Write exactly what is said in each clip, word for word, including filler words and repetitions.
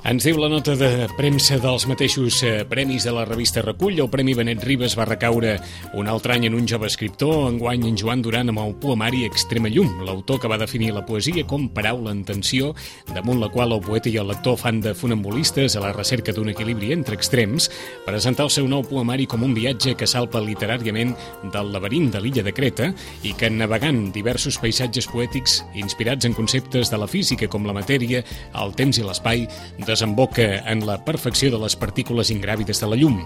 Ens diu la nota de premsa dels mateixos premis de la revista Recull. El Premi Benet Ribes va recaure un altre any en un jove escriptor, enguany en Joan Duran amb el poemari Extrema llum, l'autor que va definir la poesia com paraula en tensió, damunt la qual el poeta i el lector fan de funambulistes a la recerca d'un equilibri entre extrems, presentar el seu nou poemari com un viatge que salpa literàriament del laberint de l'illa de Creta i que, navegant diversos paisatges poètics inspirats en conceptes de la física com la matèria, el temps i l'espai, desemboca en la perfecció de les partícules ingràvides de la llum.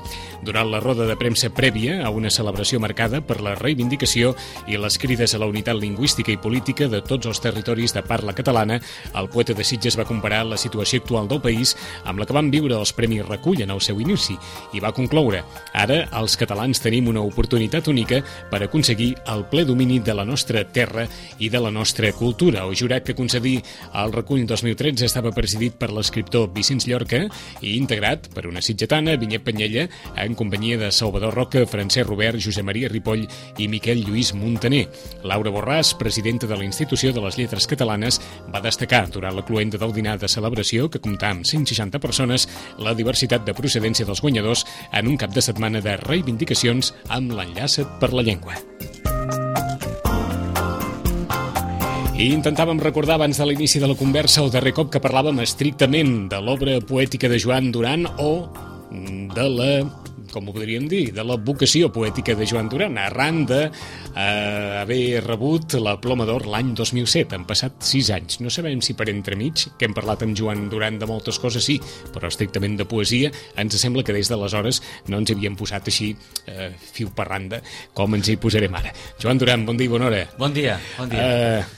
Durant la roda de premsa prèvia a una celebració marcada per la reivindicació i les crides a la unitat lingüística i política de tots els territoris de parla catalana, el poeta de Sitges va comparar la situació actual del país amb la que van viure els Premis Recull en el seu inici i va concloure: ara els catalans tenim una oportunitat única per aconseguir el ple domini de la nostra terra i de la nostra cultura. El jurat que concedí el Recull dos mil tretze estava presidit per l'escriptor Vicenç Llorca i integrat per una sitgetana, Vinyet Penyella, en companyia de Salvador Roca, Francesc Robert, Josep Maria Ripoll i Miquel Lluís Muntaner. Laura Borràs, presidenta de la Institució de les Lletres Catalanes, va destacar durant la cloenda del dinar de celebració, que comptà amb cent seixanta persones, la diversitat de procedència dels guanyadors en un cap de setmana de reivindicacions amb l'Enllaça't per la Llengua. I intentàvem recordar abans de l'inici de la conversa el darrer cop que parlàvem estrictament de l'obra poètica de Joan Duran o de la, com ho podríem dir, de la vocació poètica de Joan Duran, arran d'haver eh, rebut la Ploma d'Or l'any dos mil set. Han passat sis anys. No sabem si per entremig, que hem parlat amb Joan Duran de moltes coses, sí, però estrictament de poesia, ens sembla que des d'aleshores no ens havíem posat així eh, fiu per randa, com ens hi posarem ara. Joan Duran, bon dia i bona hora. Bon dia, bon dia. Eh,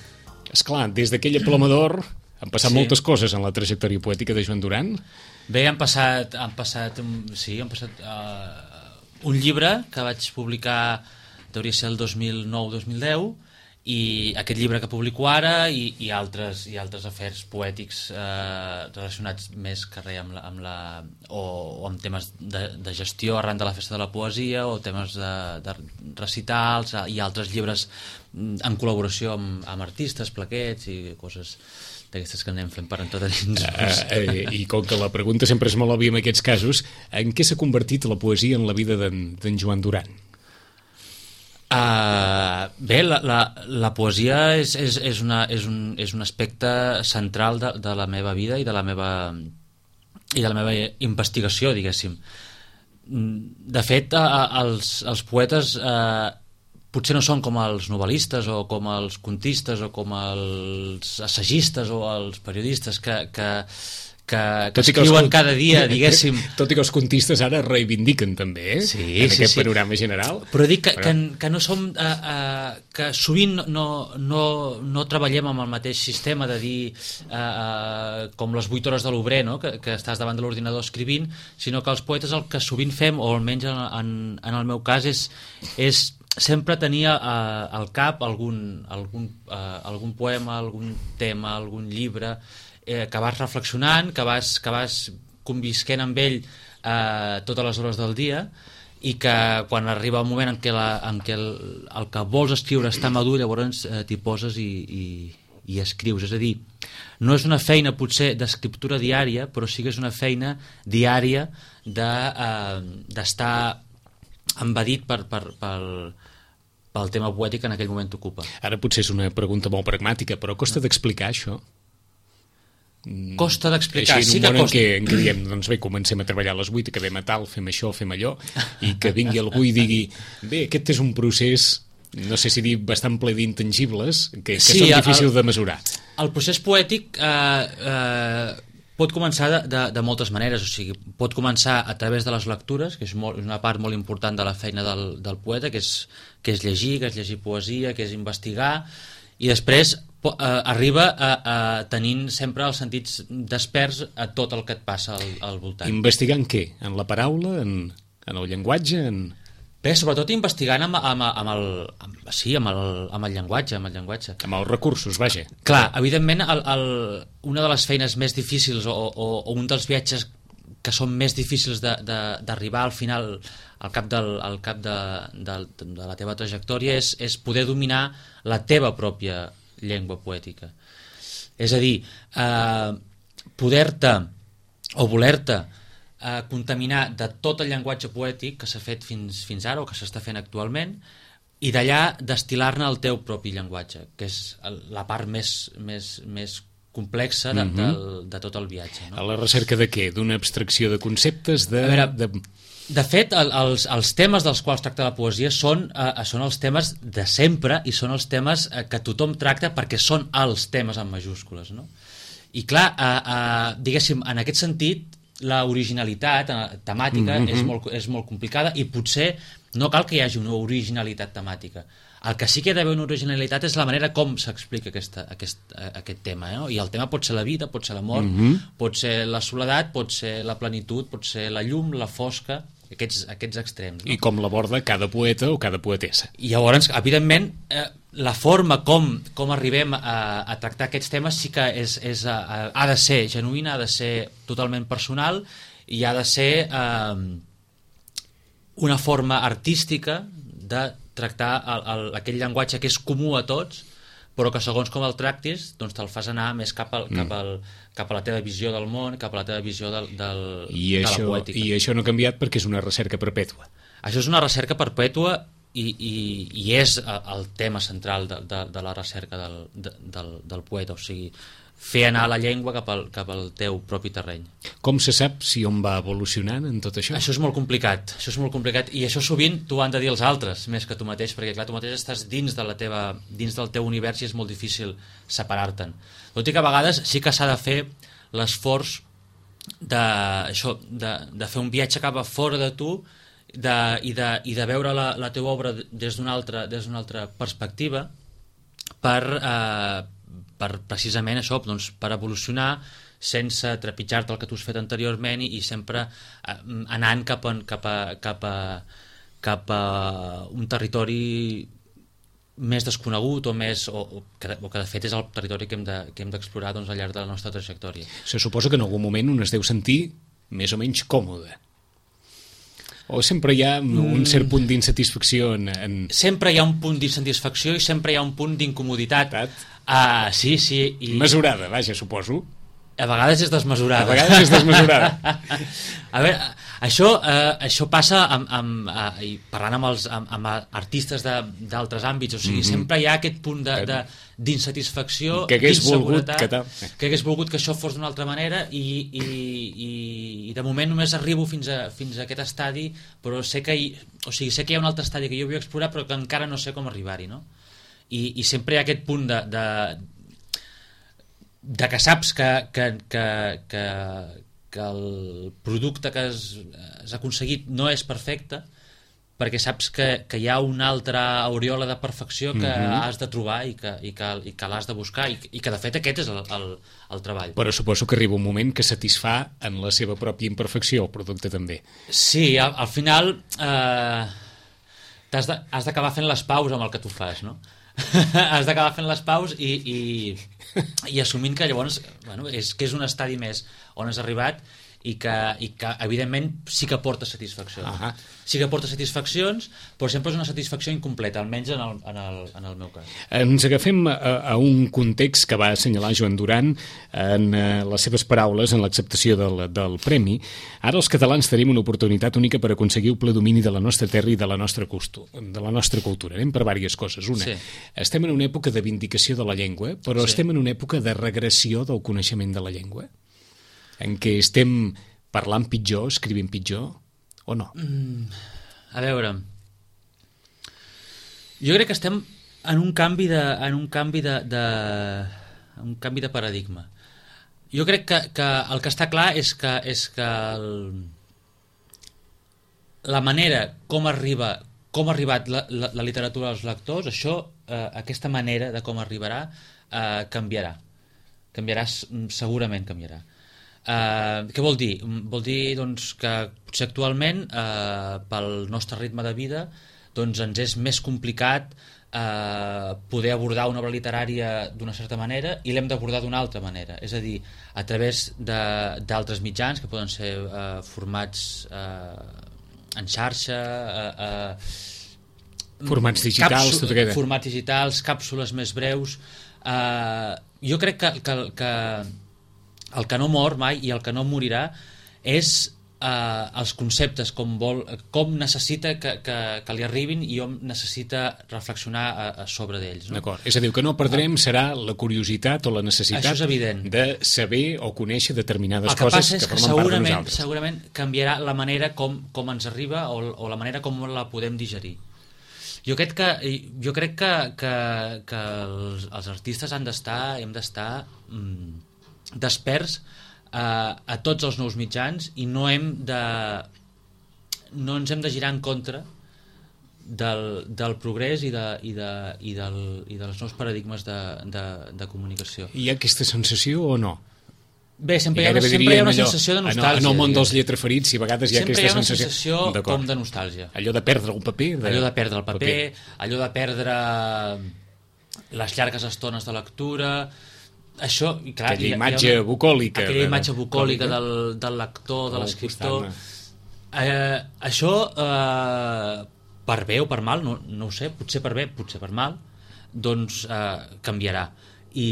esclar, des d'aquella Ploma d'Or han passat sí. moltes coses en la trajectòria poètica de Joan Duran. Bé, han passat, han passat, sí, han passat uh, un llibre que vaig publicar, hauria ser el dos mil nou dos mil deu, i aquest llibre que publico ara i, i, altres, i altres afers poètics eh, relacionats més que res amb la, amb la, o, o amb temes de, de gestió arran de la festa de la poesia o temes de, de recitals i altres llibres en col·laboració amb, amb artistes, plaquets i coses d'aquestes que anem fent per en tot a dins. Uh, eh, I com que la pregunta sempre és molt òbvia en aquests casos, en què s'ha convertit la poesia en la vida d'en Joan Duran? Uh, bé, la, la, la poesia és, és, és, una, és, un, és un aspecte central de, de la meva vida i de la meva, i de la meva investigació, diguéssim. De fet, uh, els, els poetes uh, potser no són com els novel·listes o com els contistes o com els assagistes o els periodistes que... que que, que escriuen els, cada dia, diguéssim. Tot i que els contistes ara reivindiquen també, eh? Sí, en sí, aquest sí. panorama general. Però dic que, que, que no som... Uh, uh, que sovint no, no, no treballem amb el mateix sistema de dir uh, uh, com les vuit hores de l'obrer, no? que, que estàs davant de l'ordinador escrivint, sinó que els poetes el que sovint fem, o almenys en, en, en el meu cas, és, és sempre tenir uh, al cap algun, algun, uh, algun poema, algun tema, algun llibre eh, que vas reflexionant, que vas, que vas convisquent amb ell eh, totes les hores del dia i que quan arriba el moment en què, la, en què el, el que vols escriure està madur, llavors eh, t'hi poses i, i, i escrius. És a dir, no és una feina potser d'escriptura diària, però sí que és una feina diària de, eh, d'estar embedit per, per, pel, pel tema poètic que en aquell moment t'ocupa. Ara potser és una pregunta molt pragmàtica, però costa d'explicar això? Costa d'explicar, així, sí que costa. En un costa. món en què, en què diem, doncs bé, comencem a treballar a les vuit, acabem a tal, fem això, fem allò, i que vingui algú i digui, bé, aquest és un procés, no sé si dir, bastant ple d'intangibles, que, que sí, són difícils el, de mesurar. El procés poètic eh, eh, pot començar de, de, de moltes maneres, o sigui, pot començar a través de les lectures, que és, molt, és una part molt important de la feina del, del poeta, que és, que és llegir, que és llegir poesia, que és investigar, i després uh, arriba a, a tenint sempre els sentits desperts a tot el que et passa al, al voltant. Investigant què? En la paraula? En, en el llenguatge? En... Bé, sobretot investigant amb, amb, amb, el, amb, sí, amb, el, amb el llenguatge, amb el llenguatge. Amb els recursos, vaja. Clar, evidentment, el, el, una de les feines més difícils o, o, o un dels viatges que són més difícils d'arribar al final, al cap, del, al cap de, de, de la teva trajectòria, és, és poder dominar la teva pròpia llengua poètica. És a dir, eh, poder-te o voler-te a contaminar de tot el llenguatge poètic que s'ha fet fins, fins ara o que s'està fent actualment i d'allà destil·lar-ne el teu propi llenguatge, que és la part més, més, més complexa de, mm-hmm. del, de tot el viatge. No? A la recerca de què? D'una abstracció de conceptes? De, a veure, de... de fet, el, els, els temes dels quals tracta la poesia són, eh, són els temes de sempre i són els temes eh, que tothom tracta perquè són els temes en majúscules. No? I clar, eh, eh, diguéssim, en aquest sentit, la originalitat temàtica mm-hmm. és, molt, és molt complicada i potser no cal que hi hagi una originalitat temàtica. El que sí que hi ha d'haver una originalitat és la manera com s'explica aquesta, aquest, aquest tema. Eh? I el tema pot ser la vida, pot ser la mort, mm-hmm. pot ser la soledat, pot ser la plenitud, pot ser la llum, la fosca, aquests, aquests extrems. No? I com l'aborda cada poeta o cada poetessa. I llavors, evidentment, eh, la forma com, com arribem a, a tractar aquests temes sí que és, és, a, ha de ser genuïna, ha de ser totalment personal i ha de ser eh, una forma artística de tractar el, el, aquell llenguatge que és comú a tots, però que segons com el tractis doncs te'l fas anar més cap, al, cap, al, cap a la teva visió del món, cap a la teva visió del, del, I de això, la poètica. I això no ha canviat perquè és una recerca perpètua. Això és una recerca perpètua i, i, i és el tema central de, de, de la recerca del, de, del, del poeta, o sigui, fer anar la llengua cap al, cap al teu propi terreny. Com se sap si on va evolucionant en tot això? Això és molt complicat, això és molt complicat i això sovint t'ho han de dir els altres més que tu mateix, perquè clar, tu mateix estàs dins, de la teva, dins del teu univers i és molt difícil separar-te'n. Tot i que a vegades sí que s'ha de fer l'esforç de, això, de, de fer un viatge cap a fora de tu de, i, de, i de veure la, la teva obra des d'una altra, des d'una altra perspectiva per, eh, per precisament això, doncs, per evolucionar sense trepitjar-te el que tu has fet anteriorment i, i sempre eh, anant cap a, cap, a, cap, a, cap a un territori més desconegut o, més, o, o, que, o que de fet és el territori que hem de, que hem d'explorar doncs, al llarg de la nostra trajectòria. Se suposa que en algun moment un es deu sentir més o menys còmode. O sempre hi ha un cert punt d'insatisfacció en, en... Sempre hi ha un punt d'insatisfacció i sempre hi ha un punt d'incomoditat. Uh, sí, sí. I... Mesurada, vaja, suposo. A vegades és desmesurada. A vegades és desmesurada. A veure, això, eh, això passa amb, amb, eh, parlant amb, els, amb, amb artistes d'altres àmbits, o sigui, mm-hmm. sempre hi ha aquest punt d'insatisfacció, d'inseguretat, que, que hagués volgut que això fos d'una altra manera i, i, i, i de moment només arribo fins a, fins a aquest estadi, però sé que, hi, o sigui, sé que hi ha un altre estadi que jo vull explorar però que encara no sé com arribar-hi, no? I, i sempre hi ha aquest punt de, de, de que saps que, que, que, que, que el producte que has, has aconseguit no és perfecte, perquè saps que, que hi ha una altra aureola de perfecció que mm-hmm. has de trobar i que, i que, i que l'has de buscar i, i que de fet aquest és el, el, el treball. Però suposo que arriba un moment que satisfà en la seva pròpia imperfecció el producte també. Sí, al, al final eh, has de, has d'acabar fent les paus amb el que tu fas, no? Has d'acabar fent les paus i, i, i assumint que llavors bueno, és, que és un estadi més on has arribat i que, i que evidentment sí que porta satisfacció. Uh-huh. Sí que porta satisfaccions, però sempre és una satisfacció incompleta, almenys en el, en el, en el meu cas. Ens agafem a, a un context que va assenyalar Joan Duran en uh, les seves paraules en l'acceptació del, del premi. Ara els catalans tenim una oportunitat única per aconseguir el ple domini de la nostra terra i de la nostra, costu, de la nostra cultura. Anem per diverses coses. Una, sí. Estem en una època de vindicació de la llengua, però sí. estem en una època de regressió del coneixement de la llengua, en què estem parlant pitjor, escrivint pitjor, o no? Mm, a veure, jo crec que estem en un canvi de, en un canvi de, de, un canvi de paradigma. Jo crec que, que el que està clar és que, és que el, la manera com arriba, com ha arribat la, la, la literatura als lectors, això, eh, aquesta manera de com arribarà, eh, canviarà. Canviarà, segurament canviarà. Uh, què vol dir? Vol dir doncs, que potser actualment, uh, pel nostre ritme de vida, doncs, ens és més complicat uh, poder abordar una obra literària d'una certa manera i l'hem d'abordar d'una altra manera. És a dir, a través d'altres mitjans, que poden ser uh, formats uh, en xarxa, uh, uh, formats digitals, tot aquest. Formats digitals, càpsules més breus. Uh, jo crec que, que, que el que no mor mai i el que no morirà és eh, els conceptes, com, vol, com necessita que, que, que li arribin i on necessita reflexionar a, a sobre d'ells. No? D'acord. És a dir, el que no perdrem serà la curiositat o la necessitat de saber o conèixer determinades que coses que, que formen part de segurament, nosaltres. segurament canviarà la manera com, com ens arriba o, o la manera com la podem digerir. Jo crec que, jo crec que, que, que els, els artistes han d'estar, hem d'estar mm, desperts eh, a tots els nous mitjans i no hem de no ens hem de girar en contra del, del progrés i, de, i, de, i, del, i dels nous paradigmes de, de, de comunicació. Hi ha aquesta sensació o no? Bé, sempre, hi ha, sempre hi ha una allò, sensació de nostàlgia. En el món dels lletraferits, i a vegades hi ha sempre aquesta hi ha una sensació, sensació com de nostàlgia. Allò de perdre un paper. De... Allò de perdre el paper, paper, allò de perdre les llargues estones de lectura... Això, i clar, aquella hi ha, imatge hi ha una, bucòlica aquella imatge bucòlica del, del lector, de l'escriptor eh, això eh, per bé o per mal, no, no ho sé, potser per bé, potser per mal, doncs eh, canviarà i,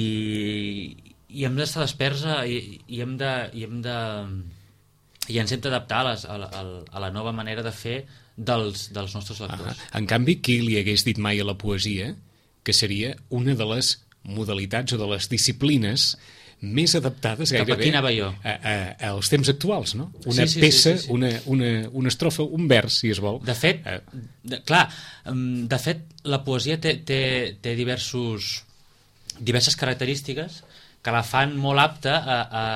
i hem d'estar desperts i, i hem de i, hem de, i ens hem d'adaptar a, a, a la nova manera de fer dels, dels nostres lectors. Ah, en canvi, qui li hagués dit mai a la poesia que seria una de les modalitats o de les disciplines més adaptades gairebé a, a, als temps actuals, no? Una sí, sí, peça, sí, sí, sí. Una, una, una estrofa, un vers, si es vol. De fet, eh. de, clar, de fet, la poesia té, té, té diversos, diverses característiques que la fan molt apta a, a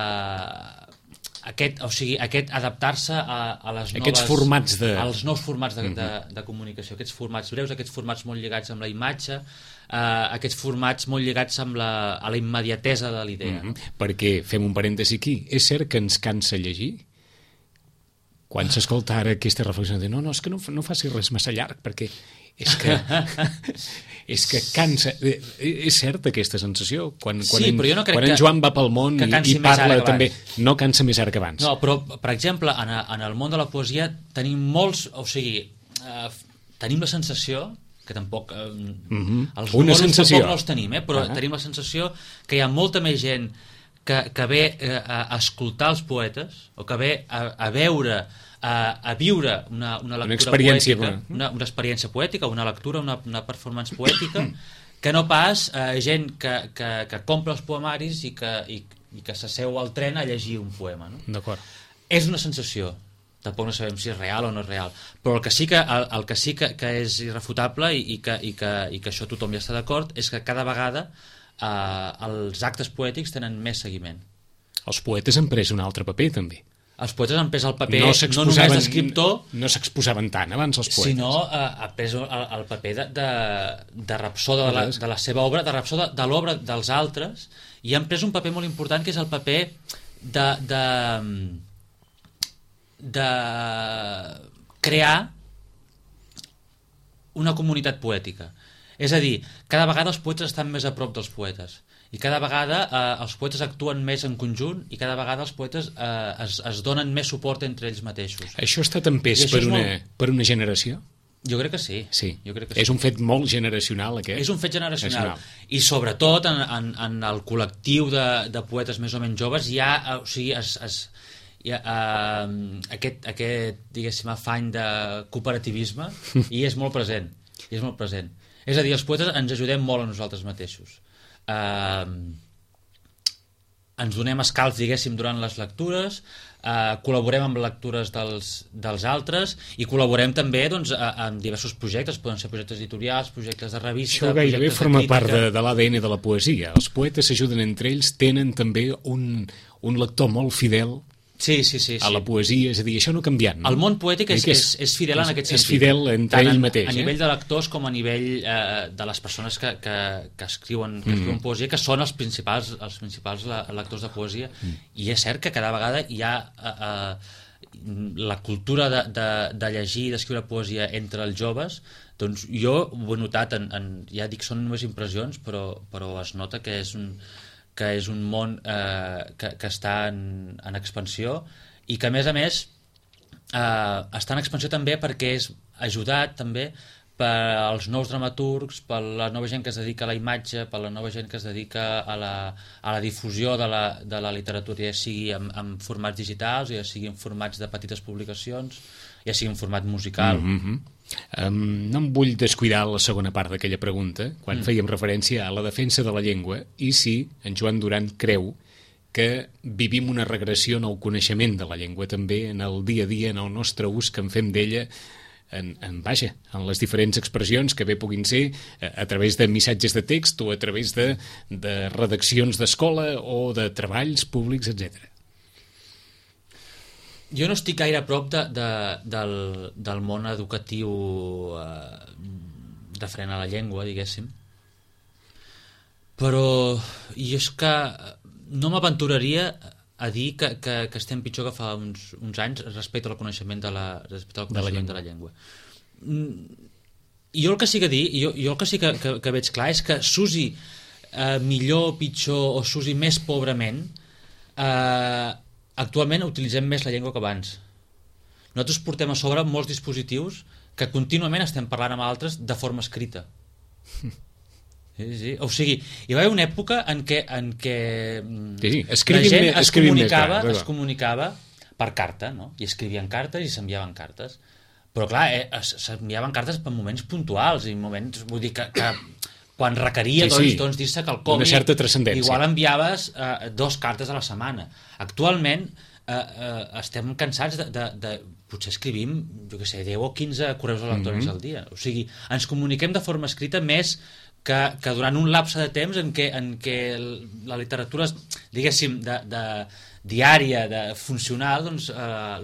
aquest, o sigui, aquest adaptar-se a, a les noves, aquests formats de... als nous formats de, mm-hmm. de, de comunicació, aquests formats breus, aquests formats molt lligats amb la imatge, Uh, aquests formats molt lligats amb la, a la immediatesa de l'idea. Mm-hmm. Perquè, fem un parèntesi aquí, és cert que ens cansa llegir? Quan s'escolta ara aquesta reflexió de no, no, és que no, no faci res massa llarg, perquè és que és que cansa. És certa aquesta sensació? Quan, quan, sí, en, però jo no crec quan en que, Joan va pel món i, i parla també, no cansa més ara que abans. No, però, per exemple, en, en el món de la poesia tenim molts, o sigui, uh, tenim la sensació que tampoc eh, mm-hmm. els una números sensació. tampoc no els tenim, eh? Però uh-huh. tenim la sensació que hi ha molta més gent que, que ve eh, a escoltar els poetes o que ve a, a veure a, a viure una, una lectura una experiència poètica, una, una experiència poètica, una lectura, una, una performance poètica, que no pas eh, gent que, que, que compra els poemaris i que, i, i que s'asseu al tren a llegir un poema, no? D'acord. És una sensació. Tampoc no sabem si és real o no és real, però el que sí que, el, el que, sí que, que és irrefutable i, i, que, i, que, i que això tothom hi està d'acord és que cada vegada eh, els actes poètics tenen més seguiment. Els poetes han pres un altre paper també. Els poetes han pres el paper no, no només d'escriptor, no s'exposaven tant abans els poetes, sinó eh, ha pres el, el paper de, de, de rapsó de la, de la seva obra, de rapsó de, de l'obra dels altres, i han pres un paper molt important que és el paper de... de de crear una comunitat poètica. És a dir, cada vegada els poetes estan més a prop dels poetes i cada vegada eh, els poetes actuen més en conjunt i cada vegada els poetes eh, es, es donen més suport entre ells mateixos. Això ha estat empès per una, molt... per una generació? Jo crec que sí. Sí. Jo crec que és sí. un fet molt generacional, aquest? És un fet generacional. I sobretot en, en, en el col·lectiu de, de poetes més o menys joves hi ha, o sigui, es, es, hi ha, uh, aquest, aquest, diguéssim, afany de cooperativisme i és molt present. I és molt present. És a dir, els poetes ens ajudem molt a nosaltres mateixos. Uh, ens donem escalf, diguéssim, durant les lectures, uh, col·laborem amb lectures dels, dels altres i col·laborem també doncs, amb diversos projectes, poden ser projectes editorials, projectes de revista... Això gairebé forma part de, de l'A D N de la poesia. Els poetes s'ajuden entre ells, tenen també un, un lector molt fidel sí, sí, sí, a la sí. poesia, és a dir, això no ha canviat, no? El món poètic és, És- és, és fidel en aquest és sentit. fidel entre Tant ell en- mateix, A eh? nivell de lectors com a nivell eh, de les persones que, que, que escriuen, que escriuen Mm. poesia, que són els principals, els principals le- lectors de poesia. Mm. I és cert que cada vegada hi ha eh, eh, la cultura de, de, de llegir i d'escriure poesia entre els joves. Doncs jo ho he notat, en, en, ja dic, són només impressions, però, però es nota que és un, que és un món eh, que, que està en, en expansió i que, a més a més, eh, està en expansió també perquè és ajudat també pels nous dramaturgs, per la nova gent que es dedica a la imatge, per la nova gent que es dedica a la, a la difusió de la, de la literatura, ja sigui en, en formats digitals, ja sigui en formats de petites publicacions, ja sigui en format musical. Mm -hmm. um, no em vull descuidar la segona part d'aquella pregunta, quan mm. fèiem referència a la defensa de la llengua, i si en Joan Duran creu que vivim una regressió en el coneixement de la llengua també, en el dia a dia, en el nostre ús que en fem d'ella, en, en, vaja, en les diferents expressions que bé puguin ser a, a través de missatges de text o a través de, de redaccions d'escola o de treballs públics, etcètera. Jo no estic gaire a prop de, de, del, del món educatiu eh, referent a la llengua, diguéssim, però jo és que no m'aventuraria a dir que, que, que estem pitjor que fa uns, uns anys respecte al coneixement de la, respecte al coneixement de la llengua. De la llengua. Jo el que sí que dir, jo, jo el que sí que, que, que veig clar és que s'usi eh, millor o pitjor o s'usi més pobrament, eh, actualment utilitzem més la llengua que abans. Nosaltres portem a sobre molts dispositius que contínuament estem parlant amb altres de forma escrita. Sí, sí. O sigui, hi va haver una època en què, en què sí, sí. la gent més, es comunicava, més, clar, es comunicava per carta, no? I escrivien cartes i s'enviaven cartes. Però clar, eh, s'enviaven cartes per moments puntuals i moments, vull dir que, que quan requeria, sí, doncs, sí. doncs dir-se quelcom, una certa transcendència. Igual enviaves eh, dos cartes a la setmana. Actualment eh, eh, estem cansats de, de, de potser escrivim, jo què sé, deu o quinze correus electrònics mm-hmm. al dia. O sigui, ens comuniquem de forma escrita més que, que durant un lapse de temps en què, en què la literatura, diguéssim, de, de diària, de funcional, doncs eh,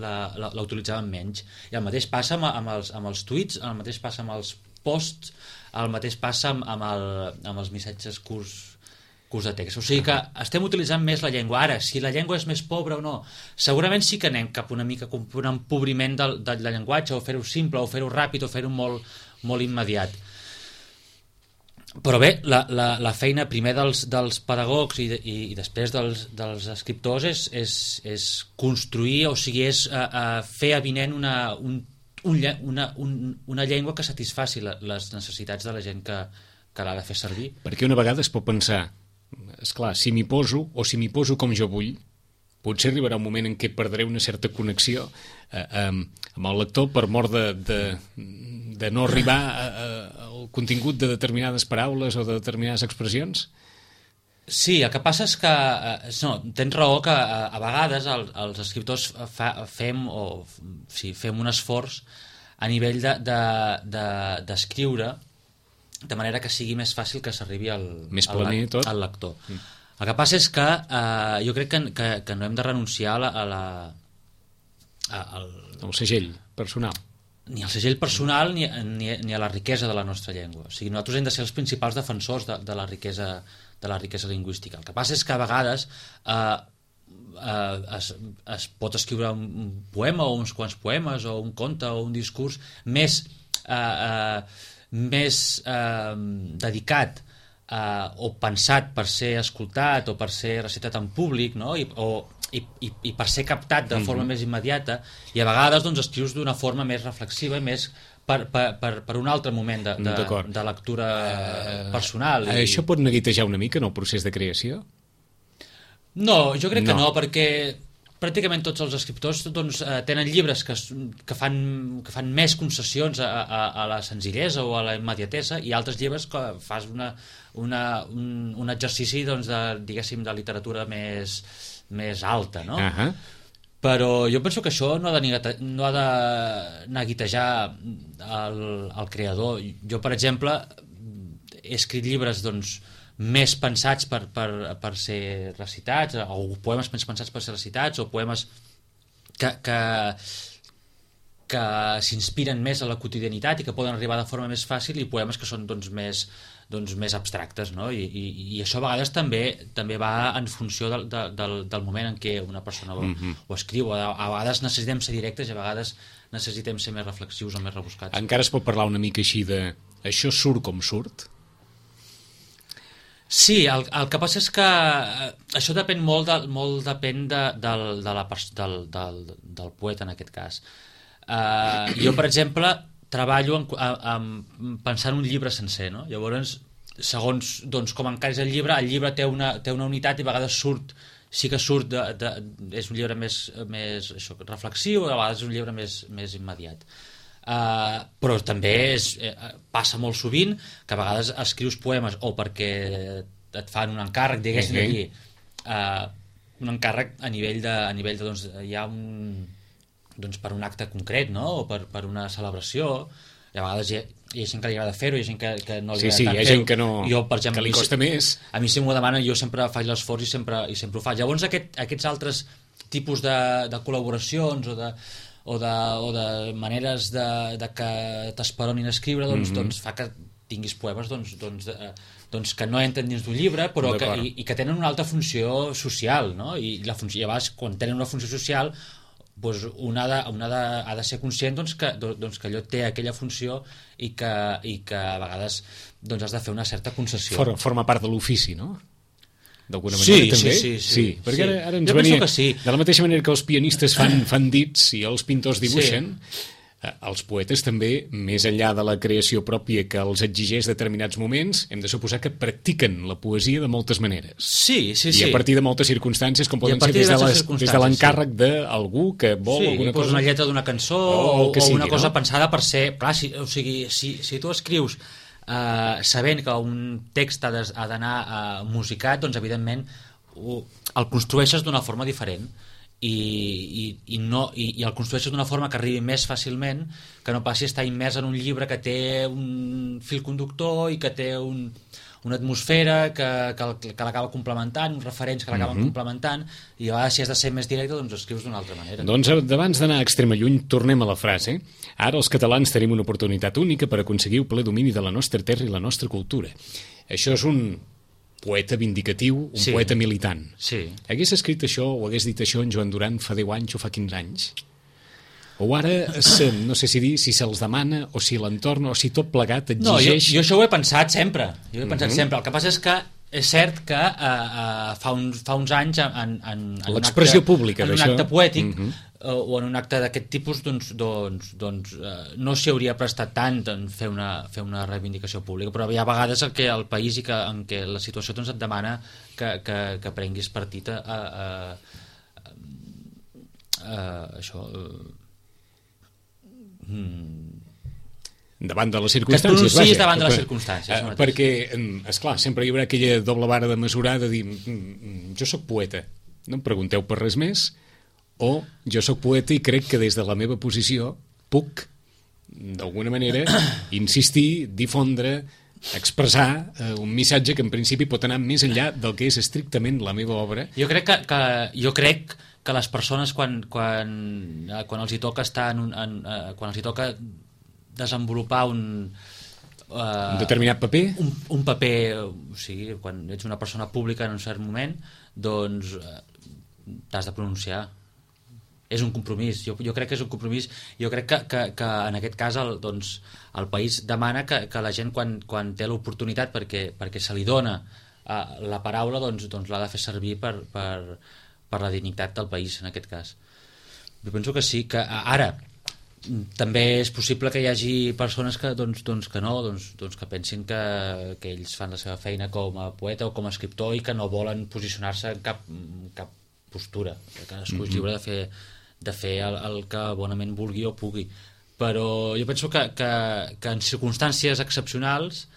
la, la, la utilitzàvem menys. I el mateix passa amb, amb, els, amb els tuits, el mateix passa amb els posts, el mateix passa amb, amb, el, amb els missatges curts, curts de text. O sigui que estem utilitzant més la llengua. Ara, si la llengua és més pobra o no, segurament sí que anem cap una mica cap un empobriment del, del llenguatge, o fer-ho simple, o fer-ho ràpid, o fer-ho molt, molt immediat. Però bé, la, la, la feina primer dels, dels pedagogs i, i, i després dels, dels escriptors és, és, és construir, o sigui, és uh, uh, fer avinent una, un, un, una, un, una llengua que satisfaci la, les necessitats de la gent que, que l'ha de fer servir. Perquè una vegada es pot pensar, esclar, si m'hi poso o si m'hi poso com jo vull, potser arribarà un moment en què perdré una certa connexió eh, amb, amb el lector per mort de, de, de no arribar a, a, al contingut de determinades paraules o de determinades expressions? Sí, el que passa és que eh, no, tens raó que a, a vegades el, els escriptors fa, fem o sí, fem un esforç a nivell d'escriure de, de, de de manera que sigui més fàcil que s'arribi al, més planer, al, al lector. Mm. El que passa és que eh, jo crec que, que, que no hem de renunciar a la, a la, a, al, el segell personal. Ni al segell personal ni, ni, ni a la riquesa de la nostra llengua. O sigui, nosaltres hem de ser els principals defensors de, de, la, riquesa, de la riquesa lingüística. El que passa és que a vegades eh, eh, es, es pot escriure un poema o uns quants poemes o un conte o un discurs més, eh, eh, més eh, dedicat Uh, o pensat per ser escoltat o per ser recitat en públic, no? I, o, i, i, i per ser captat de forma mm-hmm. més immediata, i a vegades doncs, escrius d'una forma més reflexiva i més per, per, per, per un altre moment de, de, de lectura uh, personal. Uh, I... Això pot neguitejar una mica en el procés de creació? No, jo crec no. que no, perquè pràcticament tots els escriptors doncs, eh, tenen llibres que, que, fan, que fan més concessions a, a, a la senzillesa o a la immediatesa, i altres llibres que fas una, una, un, un exercici doncs, de, diguéssim, de literatura més, més alta, no? Uh-huh. Però jo penso que això no ha de, negate, no ha de neguitejar el, el creador. Jo, per exemple, he escrit llibres doncs, més pensats per, per, per ser recitats, o poemes més pensats per ser recitats, o poemes que, que, que s'inspiren més a la quotidianitat i que poden arribar de forma més fàcil, i poemes que són doncs, més, doncs, més abstractes, no? I, i, i això a vegades també també va en funció del, del, del moment en què una persona ho, mm-hmm. ho escriu. A, a vegades necessitem ser directes i a vegades necessitem ser més reflexius o més rebuscats. Encara es pot parlar una mica així de això surt com surt? Sí, el, el que passa és que això depèn molt, de, molt depèn de, del, de la, del, del, del poeta en aquest cas. Uh, jo, per exemple, treballo en, en, en pensar en un llibre sencer, no? Llavors, segons doncs, com encaris el llibre, el llibre té una, té una unitat i a vegades surt, sí que surt, de, de, és un llibre més, més això, reflexiu, a vegades és un llibre més, més immediat. Uh, però també és, eh, passa molt sovint que a vegades escrius poemes o perquè et fan un encàrrec, diguéssim, uh-huh. aquí, uh, un encàrrec a nivell de, a nivell de doncs, hi ha un, doncs, per un acte concret, no? O per, per una celebració, i a vegades hi ha, hi ha gent que li agrada fer-ho, hi ha gent que, que no li sí, agrada sí, tant hi ha fer-ho. gent que, no, jo, per exemple, que li costa si, més. A mi si m'ho demanen jo sempre faig l'esforç i sempre, i sempre ho faig. Llavors aquest, aquests altres tipus de, de col·laboracions o de o de, o de maneres de, de que t'esperonin a escriure doncs, mm-hmm. doncs fa que tinguis poemes doncs, doncs, de, doncs que no entren dins d'un llibre però que, i, i que tenen una altra funció social, no? I, la funció, i a vegades quan tenen una funció social doncs una, ha de, una ha, de, ha de ser conscient doncs, que, doncs, que allò té aquella funció i que, i que a vegades doncs, has de fer una certa concessió. For, forma part de l'ofici, no? D'alguna manera, sí, també? Sí, sí, sí. sí perquè sí. Ara, ara ens jo venia... penso que sí. De la mateixa manera que els pianistes fan, fan dits i els pintors dibuixen, sí. els poetes també, més enllà de la creació pròpia que els exigeix determinats moments, hem de suposar que practiquen la poesia de moltes maneres. Sí, sí, sí. I a partir de moltes circumstàncies, com poden ser des de, les, des de l'encàrrec sí. d'algú que vol sí, alguna cosa... cosa... una lletra d'una cançó o, o, o sigui, una cosa no? pensada per ser... Clar, si, o sigui, si, si tu escrius uh, sabent que un text ha d'anar uh, musicat, doncs evidentment el construeixes d'una forma diferent i, i, i, no, i, i el construeixes d'una forma que arribi més fàcilment que no passi a estar immers en un llibre que té un fil conductor i que té un, una atmosfera que, que, que l'acaba complementant, uns referents que l'acaben mm-hmm. complementant, i a vegades si has de ser més directe doncs escrius d'una altra manera. Doncs abans d'anar a extrema lluny tornem a la frase. Ara els catalans tenim una oportunitat única per aconseguir el ple domini de la nostra terra i la nostra cultura. Això és un poeta vindicatiu, un sí. poeta militant. Sí. Hagués escrit això o hagués dit això en Joan Duran fa deu anys o fa quinze anys? O ara, no sé si dir, si se'ls demana o si l'entorn o si tot plegat exigeix... No, jo, jo això ho he pensat sempre. Jo ho he pensat mm-hmm. sempre. El que passa és que és cert que uh, uh, fa, uns, fa uns anys en, en, en l'expressió pública en un d'això. acte poètic mm-hmm. uh, o en un acte d'aquest tipus doncs, doncs, doncs uh, no s'hi hauria prestat tant en fer una, fer una reivindicació pública, però hi ha vegades en què el país i que, en què la situació doncs, et demana que, que, que prenguis partit a, a, a, a això uh, hmm. davant de les circumstàncies. Que es pronunciïs davant de les per, circumstàncies. Uh, perquè, esclar, sempre hi haurà aquella doble vara de mesurar de dir, jo sóc poeta, no em pregunteu per res més, o jo sóc poeta i crec que des de la meva posició puc, d'alguna manera, insistir, difondre, expressar uh, un missatge que en principi pot anar més enllà del que és estrictament la meva obra. Jo crec que, que, jo crec que les persones quan, quan, quan els hi toca estar en un, en, uh, quan els hi toca desenvolupar un uh, un determinat paper un, un paper, o sigui, quan ets una persona pública en un cert moment doncs uh, t'has de pronunciar, és un compromís, jo, jo crec que és un compromís, jo crec que, que, que en aquest cas el, doncs, el país demana que, que la gent quan, quan té l'oportunitat perquè, perquè se li dona uh, la paraula doncs, doncs l'ha de fer servir per, per, per la dignitat del país en aquest cas. Jo penso que sí, que ara també és possible que hi hagi persones que, doncs, doncs, que no, doncs, doncs que pensin que, que ells fan la seva feina com a poeta o com a escriptor i que no volen posicionar-se en cap, cap postura, que cadascú és lliure de fer, de fer el, el que bonament vulgui o pugui, però jo penso que, que, que en circumstàncies excepcionals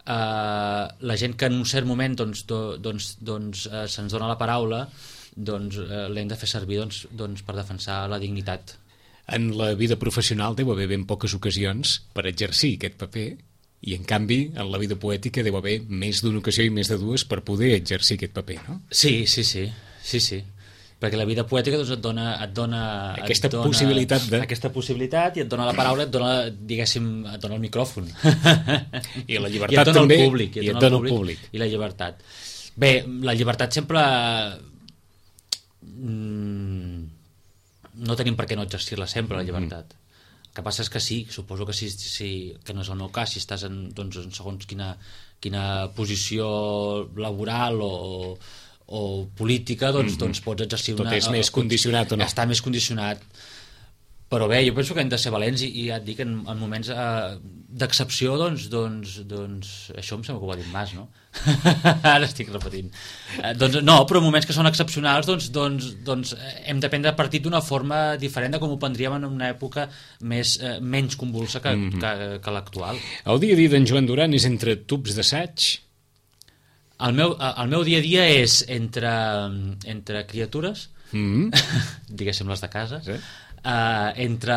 eh, la gent que en un cert moment doncs, do, doncs, doncs, eh, se'ns dona la paraula doncs, eh, l'hem de fer servir doncs, doncs, per defensar la dignitat. En la vida professional deu haver ben poques ocasions per exercir aquest paper i, en canvi, en la vida poètica deu haver més d'una ocasió i més de dues per poder exercir aquest paper, no? Sí, sí, sí. sí, sí. perquè la vida poètica doncs, et dona, et dona aquesta et dona, possibilitat de... aquesta possibilitat i et dona la paraula, et dona, diguéssim, et dona el micròfon. I la llibertat I et dona també, el públic, i et, i et dona, dona el públic, públic. I la llibertat. Bé, la llibertat sempre... No tenim per què no exercir-la sempre, la llibertat. Mm. El que passa és que sí, suposo que sí, sí, que no és el meu cas, si estàs en, doncs, en segons quina, quina posició laboral o, o política, doncs, mm-hmm. doncs pots exercir tot una... Tot és més condicionat o no? Està més condicionat. Però bé, jo penso que hem de ser valents i, i ja et dic, en, en moments eh, d'excepció, doncs, doncs, doncs, això em sembla que ho va dir Mas, no? Ara estic repetint. Eh, doncs, no, però en moments que són excepcionals, doncs, doncs, doncs hem de prendre partit d'una forma diferent de com ho prendríem en una època més, eh, menys convulsa que, mm-hmm. que, que l'actual. El dia a dia d'en Joan Duran és entre tubs d'assaig? El meu, el meu dia a dia és entre, entre criatures, mm-hmm. diguéssim les de casa, sí. Uh, entre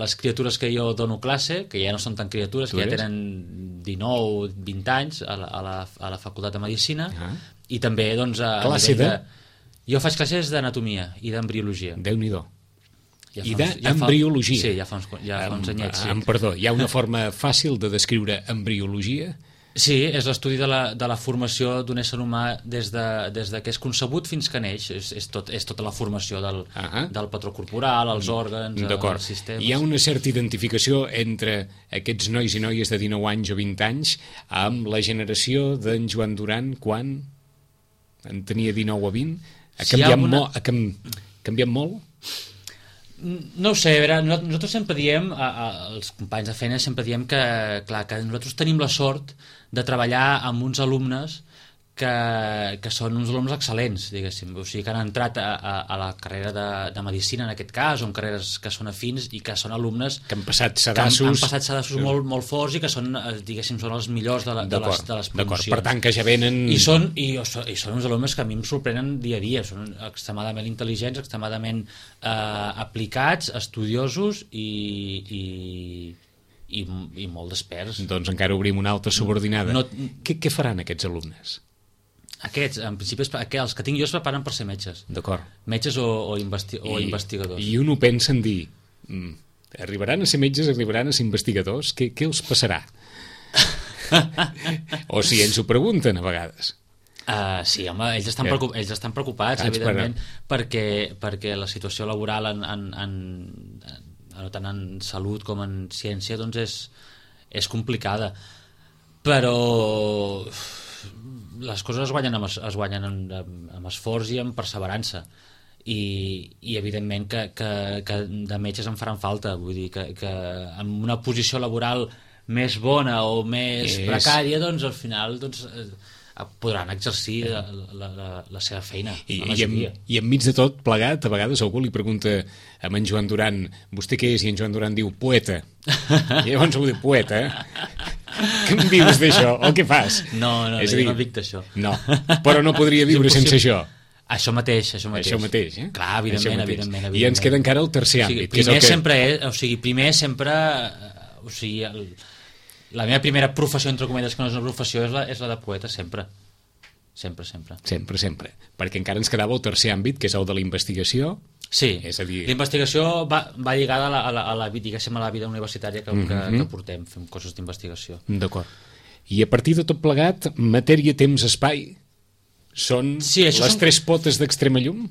les criatures que jo dono classe, que ja no són tan criatures, que ja tenen dinou vint anys a la, a la, a la facultat de Medicina, uh-huh. i també doncs, a, classe de... de... Jo faig classes d'anatomia i d'embriologia. Déu-n'hi-do. Ja I d'embriologia. Ja sí, ja fa uns, ja fa uns anyets. Sí. Em, perdó, hi ha una forma fàcil de descriure embriologia? Sí, és l'estudi de la, de la formació d'un ésser humà des de, des de que és concebut fins que neix. És, és, tot, és tota la formació del, uh-huh. del patró corporal, els òrgans, els sistemes. Hi ha una certa identificació entre aquests nois i noies de dinou anys o vint anys amb la generació d'en Joan Duran quan en tenia dinou o vint? Ha si canviat, alguna... mo ha cam... canviat molt? No ho sé, a veure, nosaltres sempre diem, a, a, els companys de feina sempre diem que, clar, que nosaltres tenim la sort de treballar amb uns alumnes que, que són uns alumnes excel·lents, diguéssim, o sigui, que han entrat a, a, a la carrera de, de Medicina, en aquest cas, o en carreres que són afins i que són alumnes que han passat sedassos, que han, han passat sedassos sí. molt, molt forts i que són, diguéssim, són els millors de, la, de, les, de les promocions. Per tant, que ja venen... I són, i, i són uns alumnes que a mi em sorprenen dia a dia, són extremadament intel·ligents, extremadament eh, aplicats, estudiosos i... i I, i molt desperts. Doncs encara obrim una altra subordinada. No, què, què faran aquests alumnes? Aquests, en principi, els que tinc jo es preparen per ser metges. D'acord. Metges o, o, investi o I, investigadors. I un ho pensa en dir, mm, arribaran a ser metges, arribaran a ser investigadors, què, què els passarà? O si ens ho pregunten a vegades. Uh, sí, home, ells estan, preocup ells estan preocupats, ah, evidentment, perquè, perquè la situació laboral en, en, en, en tant en salut com en ciència doncs és, és complicada, però les coses es guanyen amb, es guanyen amb, amb esforç i amb perseverança i, i evidentment que, que, que de metges en faran falta, vull dir que, que amb una posició laboral més bona o més és... precària, doncs al final doncs, podran exercir la, la, la, la seva feina. I, i, en, I enmig de tot plegat, a vegades algú li pregunta a en Joan Duran, vostè què és? I en Joan Duran diu, poeta. I llavors algú diu, poeta? Què em dius d'això? O què fas? No, no, és no, dir, jo no dic d'això. No, però no podria viure sense això. Això mateix, això mateix. Això mateix, eh? Clar, evidentment, evidentment, evidentment. I ens queda encara el tercer àmbit. O sigui, primer que és el que... sempre és, o sigui, primer sempre, o sigui, el, la meva primera professió, entre cometes, que no és una professió, és la, és la de poeta, sempre. Sempre, sempre. Sempre, sempre. Perquè encara ens quedava el tercer àmbit, que és el de la investigació. Sí, és a dir... la investigació va, va lligada a la, a la, a la, diguéssim, a la vida universitària que, mm-hmm. que, que portem, fem coses d'investigació. D'acord. I a partir de tot plegat, matèria, temps, espai, són sí, les són... tres potes d'Extrema Llum?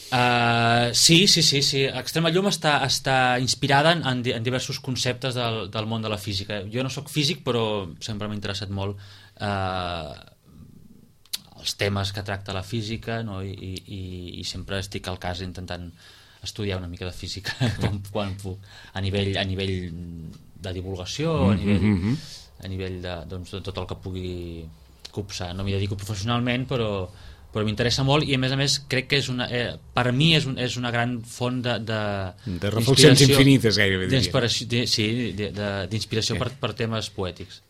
Uh, sí, sí, sí, sí. Extrema Llum està, està inspirada en, en diversos conceptes del, del món de la física. Jo no sóc físic, però sempre m'ha interessat molt uh, els temes que tracta la física, no? I, i, i sempre estic al cas intentant estudiar una mica de física quan, quan puc, a nivell, a nivell de divulgació, a nivell, mm-hmm. a nivell de, doncs, de tot el que pugui copsar. No m'hi dedico professionalment, però però m'interessa molt i a més a més crec que és una, eh, per mi és, un, és una gran font de, de, de reflexions infinites gairebé de, sí, d'inspiració sí. per, per temes poètics.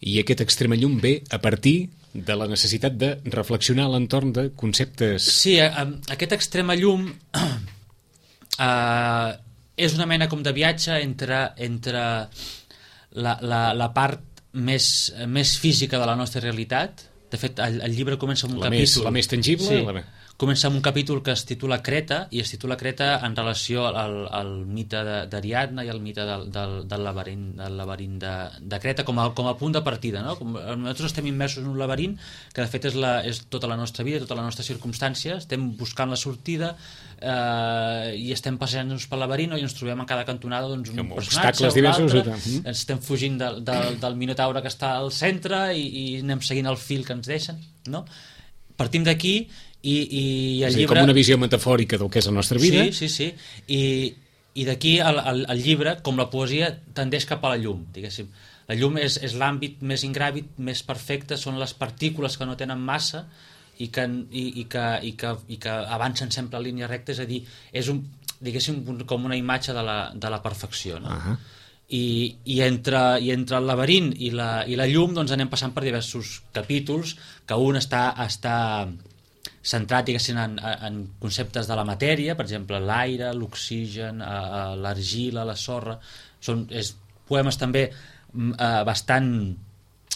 I aquest Extrema Llum ve a partir de la necessitat de reflexionar a l'entorn de conceptes... Sí, a, aquest Extrema Llum eh, és una mena com de viatge entre, entre la, la, la part més, més física de la nostra realitat, De fet, el, el llibre comença amb un la capítol... Més, la més tangible? Sí, la... comença amb un capítol que es titula Creta, i es titula Creta en relació al, al mite d'Ariadna i al mite del, del, del laberint, del laberint de, de Creta com a, com a punt de partida, no? Com, nosaltres estem immersos en un laberint que de fet és, la, és tota la nostra vida, tota la nostra circumstància, estem buscant la sortida eh, i estem passejant-nos pel laberint, no? I ens trobem en cada cantonada doncs, un amb personatge obstacles diversos, mm. estem fugint de, de, del minotaure que està al centre i, i anem seguint el fil que ens deixen, no? Partim d'aquí i, i el és dir, llibre... com una visió metafòrica del que és la nostra vida. Sí, sí, sí. I, i d'aquí el, el, el llibre, com la poesia, tendeix cap a la llum, diguéssim. La llum és, és l'àmbit més ingràvid, més perfecte, són les partícules que no tenen massa i que, i, i que, i que, i que avancen sempre a línia recta, és a dir, és un, diguéssim, com una imatge de la, de la perfecció, no? Uh-huh. I, i, entre, i entre el laberint i la, i la llum doncs anem passant per diversos capítols que un està, està centrat diguéssim en, en conceptes de la matèria, per exemple l'aire, l'oxigen, l'argila, la sorra, són és, poemes també eh, bastant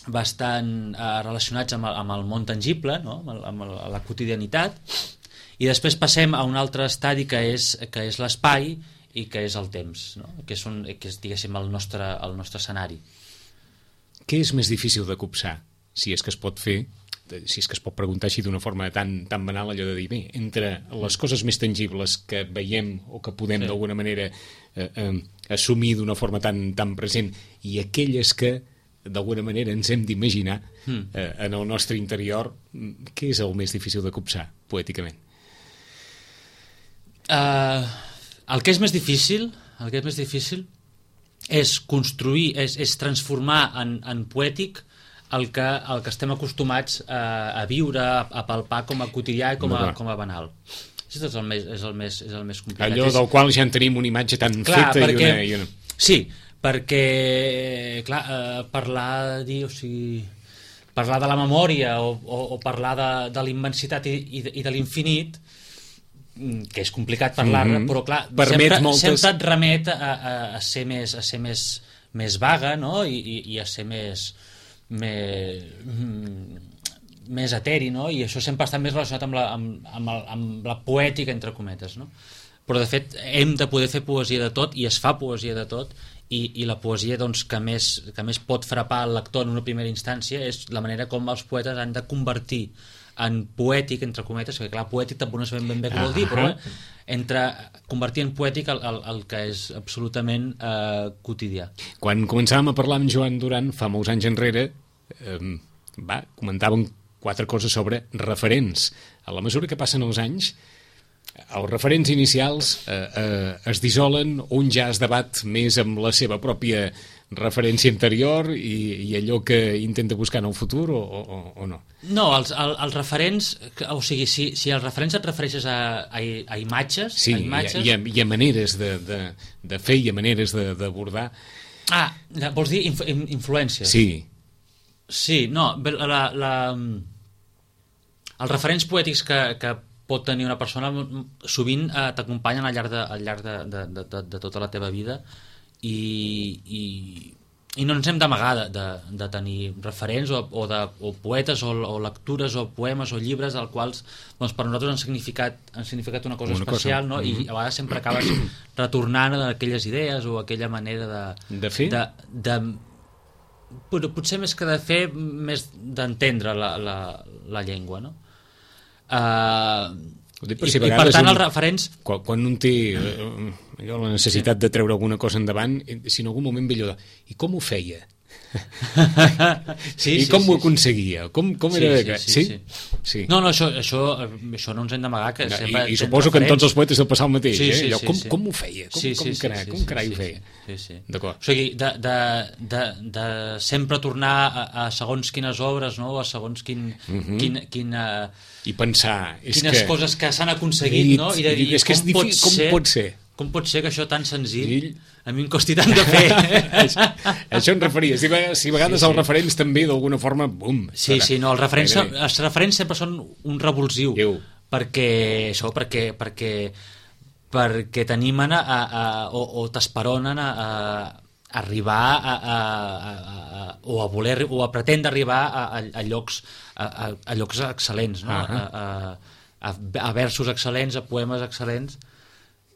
bastant eh, relacionats amb el, amb el món tangible, no? amb, el, amb el, la quotidianitat, i després passem a un altre estadi que és, que és l'espai i que és el temps, no? que, és un, que és diguéssim el nostre, el nostre escenari. Què és més difícil de copsar, si és que es pot fer, si és que es pot preguntar així d'una forma tan, tan banal, allò de dir, bé, entre les coses més tangibles que veiem o que podem sí. d'alguna manera eh, eh, assumir d'una forma tan, tan present i aquelles que d'alguna manera ens hem d'imaginar mm. eh, en el nostre interior, què és el més difícil de copsar, poèticament? Uh, el que és més difícil, el que és més difícil és construir, és, és transformar en, en poètic el que, el que estem acostumats a, a viure, a, a palpar com a quotidià i com a, com a banal. Això és el més, és el més, és el més complicat. Allò del qual ja en tenim una imatge tan clar, feta perquè, i, una, i una... Sí, perquè clar, eh, parlar dir, o sigui, parlar de la memòria o, o, o parlar de, de la immensitat i, i, de, i de l'infinit, que és complicat parlar-ne, mm-hmm. però clar, sempre, moltes... sempre et remet a, a, a ser més, a ser més, més vaga, no? I, i, i a ser més més, més eteri, no? I això sempre està més relacionat amb la, amb, amb, el, amb la poètica, entre cometes, no? Però de fet hem de poder fer poesia de tot i es fa poesia de tot i, i la poesia doncs, que, més, que més pot frapar el lector en una primera instància és la manera com els poetes han de convertir en poètic, entre cometes, perquè clar, poètic tampoc no sabem ben bé què vol dir, però eh, entre convertir en poètic el, el, el que és absolutament eh, quotidià. Quan començàvem a parlar amb Joan Duran fa molts anys enrere, eh, va, comentàvem quatre coses sobre referents. A la mesura que passen els anys, els referents inicials eh, eh, es dissolen, un ja es debat més amb la seva pròpia referència anterior i, i allò que intenta buscar en el futur o, o, o no? No, els, el, els referents, o sigui, si, si els referents et refereixes a, a, a imatges... Sí, a imatges... I, a, i a maneres de, de, de fer i a maneres d'abordar... Ah, vols dir inf, influències? Sí. Sí, no, la, la, els referents poètics que, que pot tenir una persona sovint eh, t'acompanyen al llarg, de, al llarg de, de, de, de tota la teva vida i, i, i no ens hem d'amagar de, de, de tenir referents o, o, de, o poetes o, o lectures o poemes o llibres als quals doncs, per nosaltres han significat, han significat una cosa una especial cosa. No? Mm-hmm. I a vegades sempre acabes retornant a aquelles idees o a aquella manera de... De fer? De, de, però potser més que de fer, més d'entendre la, la, la llengua, no? Uh, i, si i per tant un, els referents quan, quan un té uh, la necessitat sí. de treure alguna cosa endavant, si en algun moment ve allò de, i com ho feia? sí, i sí, com sí, ho aconseguia? Com, com sí, era? Sí, sí, sí, sí? sí. No, no, això, això, això no ens hem d'amagar que no, sempre, i, i suposo que en tots els poetes deu passar el mateix, sí, eh? sí, Allò, sí, com, sí. com ho feia? Com, sí, com, sí, carai, sí, com sí, carai sí, ho feia? Sí, sí. D'acord. O sigui, de, de, de, de sempre tornar a, a segons quines obres, no? A segons quin... Mm-hmm. quin, quin uh, I pensar... És quines que... coses que s'han aconseguit, no? I de dir, és que és com, difícil, pot ser, com pot ser? Com pot ser que això tan senzill a mi em costi tant de fer? això, això em referia. Si, si a vegades sí, sí. els referents també d'alguna forma, bum! Sí, sí, no, els referents, els referents sempre són un revulsiu. Déu. Perquè això, perquè, perquè, perquè t'animen a, a, o, o t'esperonen a, a, arribar a, a, a, a, o a voler o a pretendre arribar a, a, a llocs a, a, a llocs excel·lents, no? Uh-huh. a, a, a versos excel·lents, a poemes excel·lents,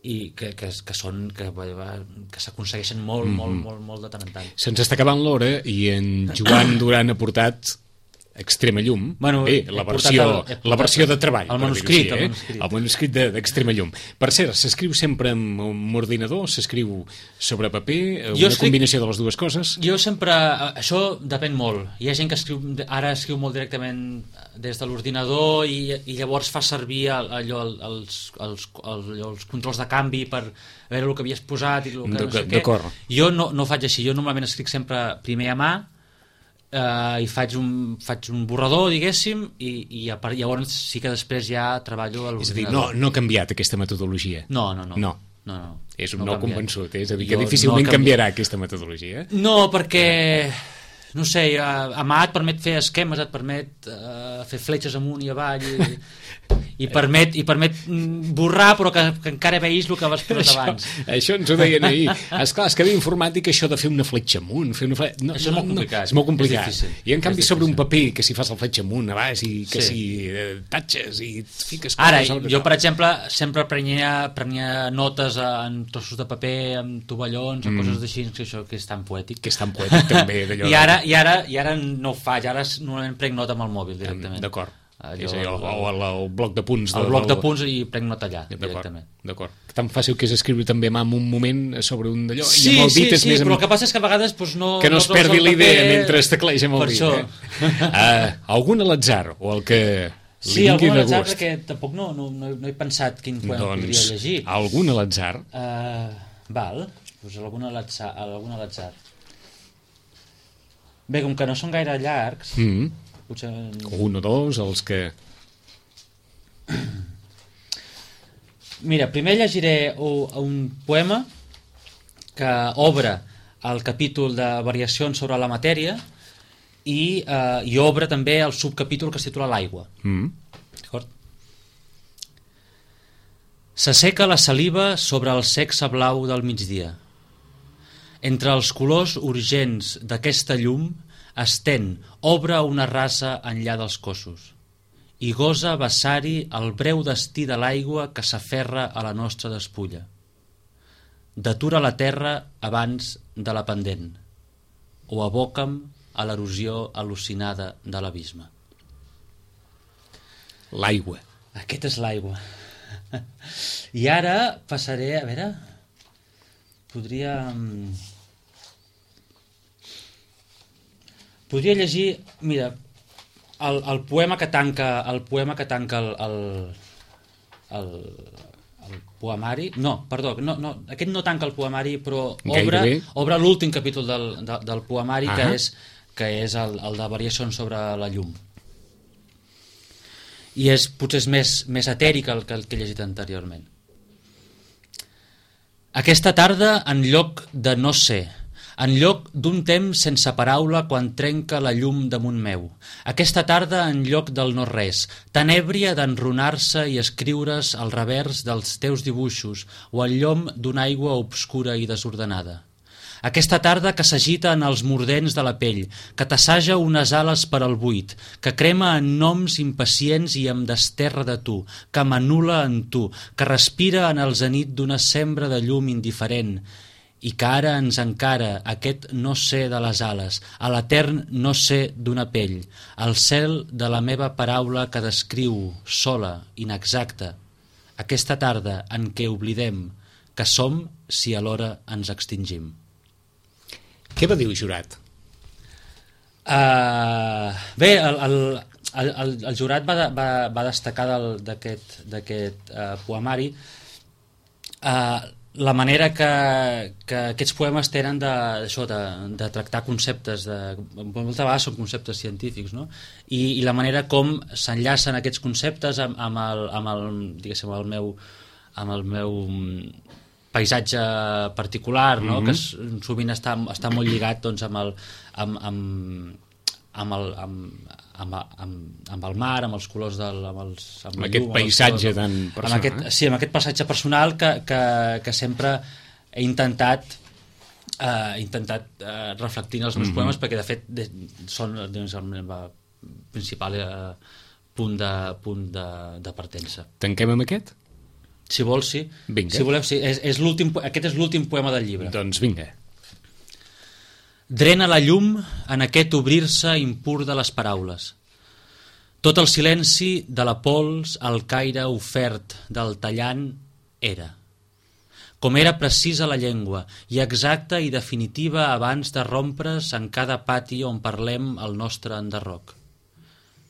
i que, que, que són que, que s'aconsegueixen molt, mm-hmm. molt, molt, molt de tant en tant. Se'ns està acabant l'hora i en Joan Duran ha portat Extrema Llum, bueno, bé, la versió, el, la versió de treball, el manuscrit, així, eh? el manuscrit, el manuscrit de, d'Extrema Llum. Per cert, s'escriu sempre amb un ordinador, s'escriu sobre paper, jo una escric, combinació de les dues coses? Jo sempre, això depèn molt. Hi ha gent que escriu, ara escriu molt directament des de l'ordinador i, i llavors fa servir allò, els, els, els, els controls de canvi per veure el que havies posat i el que no sé què. Jo no, no faig així, jo normalment escric sempre primer a mà, Uh, i faig un, faig un borrador, diguéssim, i, i a part, llavors sí que després ja treballo a l'ordinador. És a dir, no, no ha canviat aquesta metodologia? No, no, no. No. No, no, és un no no convençut, eh? És a dir, que jo difícilment no canviarà aquesta metodologia. No, perquè, no sé, a mà et permet fer esquemes, et permet uh, fer fletxes amunt i avall, i, i permet, i permet borrar, però que, que encara veïs el que vas posar això, abans. Això ens ho deien ahir. Esclar, és que ve informàtica això de fer una fletxa amunt, fer una fletxa... No, això és molt complicat. No, és molt complicat. És difícil. I en canvi és sobre difícil. un paper que si fas el fletxa amunt a baix i que sí. si eh, tatxes i fiques... Ara, jo per exemple sempre prenia, prenia notes en trossos de paper, amb tovallons, mm. o coses així, que això que és tan poètic. Que és tan poètic també. I, ara, i, ara, I ara no ho faig, ara normalment prenc nota amb el mòbil directament. D'acord. Allò, és allò, o el, el bloc de punts. El bloc de punts i prenc nota allà, directament. D'acord. Tan fàcil que és escriure també a mà en un moment sobre un d'allò. Sí, i amb el sí, dit és sí, més però amb... el que passa és que a vegades doncs, no... Que no, no es perdi la idea mentre es tecleja amb el per dit. Això. Eh? uh, algun a l'atzar, o el que li sí, vingui de gust. Sí, algun a l'atzar, perquè tampoc no, no, no, no he pensat quin poema doncs, podria llegir. Algun a l'atzar? Uh, val, doncs algun a l'atzar. Algun a l'atzar. Bé, com que no són gaire llargs... Mm. Potser... Un o dos, els que... Mira, primer llegiré un poema que obre el capítol de variacions sobre la matèria i, eh, i obre també el subcapítol que es titula L'aigua. Mm. D'acord? S'asseca la saliva sobre el sexe blau del migdia. Entre els colors urgents d'aquesta llum estén, obre una rasa enllà dels cossos i gosa vessar-hi el breu destí de l'aigua que s'aferra a la nostra despulla. Detura la terra abans de la pendent, o aboca'm a l'erosió al·lucinada de l'abisme. L'aigua. Aquest és l'aigua. I ara passaré, a veure, podria... Podria llegir, mira, el, el poema que tanca el poema que tanca el, el, el, el poemari, no, perdó, no, no, aquest no tanca el poemari, però obre, obre l'últim capítol del, de, del poemari, uh-huh. que és, que és el, el de variacions sobre la llum. I és, potser és més, més etèric el que, el que he llegit anteriorment. Aquesta tarda, en lloc de no ser, en lloc d'un temps sense paraula quan trenca la llum damunt meu. Aquesta tarda, en lloc del no-res, tan èbria d'enrunar-se i escriure's al revers dels teus dibuixos o al llom d'una aigua obscura i desordenada. Aquesta tarda que s'agita en els mordents de la pell, que t'assaja unes ales per al buit, que crema en noms impacients i em desterra de tu, que m'anul·la en tu, que respira en el zenit d'una sembra de llum indiferent, i que ara ens encara aquest no sé de les ales, a l'etern no sé d'una pell, al cel de la meva paraula que descriu, sola, inexacta, aquesta tarda en què oblidem que som si alhora ens extingim. Què va dir el jurat? Uh, bé, el, el, el, el, el jurat va, de, va, va destacar d'aquest uh, poemari uh, la manera que, que aquests poemes tenen de, això, de, de tractar conceptes, de, moltes vegades són conceptes científics, no? I, i la manera com s'enllacen aquests conceptes amb, amb, el, amb, el, diguéssim, el meu, amb el meu paisatge particular, no? Mm-hmm. Que sovint està, està molt lligat doncs, amb el... Amb, amb, amb el, amb, amb, amb, amb el mar, amb els colors del, amb, els, amb, amb aquest llum, paisatge colors, tan personal, amb aquest, sí, amb aquest paisatge personal que, que, que sempre he intentat uh, intentat uh, reflectir els meus mm-hmm. poemes, perquè de fet de, són doncs, el meu principal uh, punt, de, punt de, de partença. Tanquem amb aquest? Si vols, sí. Vinga. Si voleu, sí. És, és l'últim, aquest és l'últim poema del llibre. Doncs vinga. Drena la llum en aquest obrir-se impur de les paraules. Tot el silenci de la pols, el caire ofert del tallant era. Com era precisa la llengua, i exacta i definitiva abans de rompre's en cada pati on parlem el nostre enderroc.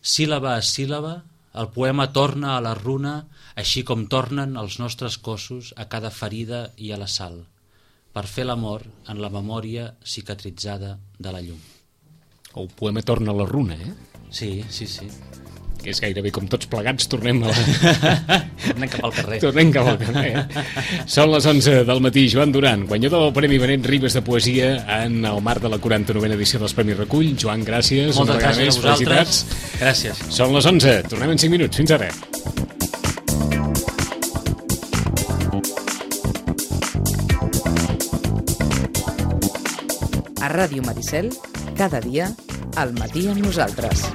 Síl·laba a síl·laba, el poema torna a la runa, així com tornen els nostres cossos a cada ferida i a la sal, per fer l'amor en la memòria cicatritzada de la llum. El poema torna a la runa, eh? Sí, sí, sí. Que és gairebé com tots plegats, tornem a la... Tornem cap al carrer. Tornem cap al carrer, eh? Són les onze del matí. Joan Duran, guanyador del Premi Benet Ribes de Poesia en el marc de la quaranta-novena edició dels Premis Recull. Joan, gràcies. Moltes gràcies a vosaltres. Gràcies. Són les onze. Tornem en cinc minuts. Fins ara. A Ràdio Maricel, cada dia, al matí amb nosaltres.